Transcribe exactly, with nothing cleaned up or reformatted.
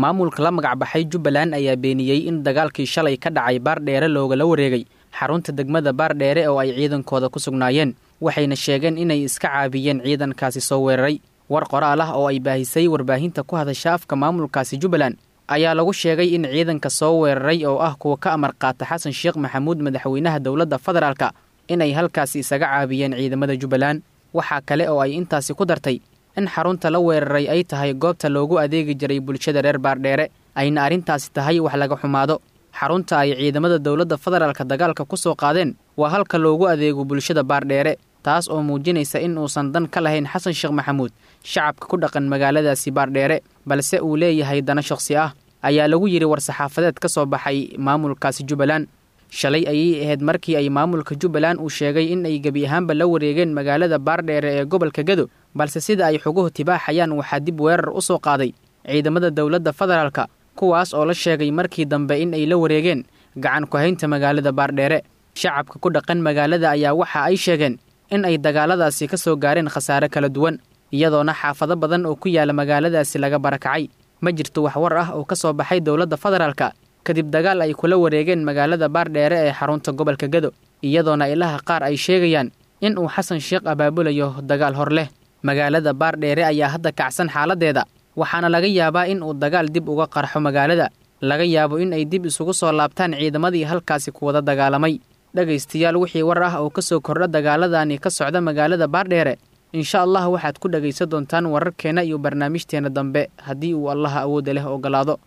Maamulka la magacbaxay Jubbaland ayaa beeniyey in dagaalkii shalay ka dhacay Baardheere loogala wareegay xarunta degmada Baardheere oo ay ciidankooda ku sugnaayeen, waxayna sheegeen inay iska caabiyeen ciidankaasi soo weeraray. War qoraal ah oo ay baahisay warbaahinta ku hadasha afka maamulkaasi Jubbaland ayaa lagu sheegay in ciidanka soo weeraray oo ah kuwa ka amar qaata Xasan Sheekh Maxamuud, madaxweynaha dowladda federaalka, inay halkaasi isaga caabiyeen ciidamada Jubbaland. Waxaa kale oo ay intaasi ku dartay in xarunta la weeraray ay tahay goobta loogu adeegi jiray bulshada reer Baardheere, ayna arrintaasi tahay wax laga xumaado. Xarunta ay ciidamada dowladda federaalka dagaalka ku soo qaadeen waa halka loogu adeego bulshada Baardheere, taas oo muujinaysa in uusan dan ka lahayn Xasan Sheekh Maxamuud shacabka ku dhaqan magaaladaasi Baardheere, balse uu leeyahay dana shakhsi ah, ayaa lagu yidhi war-saxaafadeed ka soo baxay maamulkaasi Jubbaland. Shalay ayay ahayd markii ay maamulka Jubbaland uu sheegay in ay gebi ahaanba la wareegeen magaalada Baardheere ee gobolka Gedo, balse sida ay xoguhu tibaaxayaan waxaa dib weerar u soo qaaday ciidamada dowladda federaalka, kuwaas oo la sheegay markii dambe in ay la wareegeen gacan ku-haynta magaalada Baardheere. Shacabka ku dhaqan magaalada ayaa waxa ay sheegeen in ay dagaaladaasi ka soo gaareen khasaare kala duwan, iyadoona xaafado badan oo ku yaala magaaladaasi laga barakacay. Ma jirto wax war ah oo ka soo baxay dowladda federaalka kadib dagaal ay kula wareegeen magaalada Baardheere ee xarunta gobolka Gedo, iyadoona ilaha qaar ay sheegayaan in uu Xasan Sheekh abaabulayo dagaal hor leh. Magaalada Baardheere ayaa hadda kacsan xaaladeeda, waxaana laga yaabaa in uu dagaal dib uga qarxo magaalada, laga yaabo in ay dib isugu soo laabtaan ciidamadii halkaasi ku wada dagaalamay. Dhegaystayaal, wixii war ah oo ka soo kordha dagaaladani ka socda magaalada Baardheere, insha Allah waxaad ku dhegaysan doontaan wararkeena iyo barnaamijteena dambe haddii uu Allaha awoodda leh ogolaado.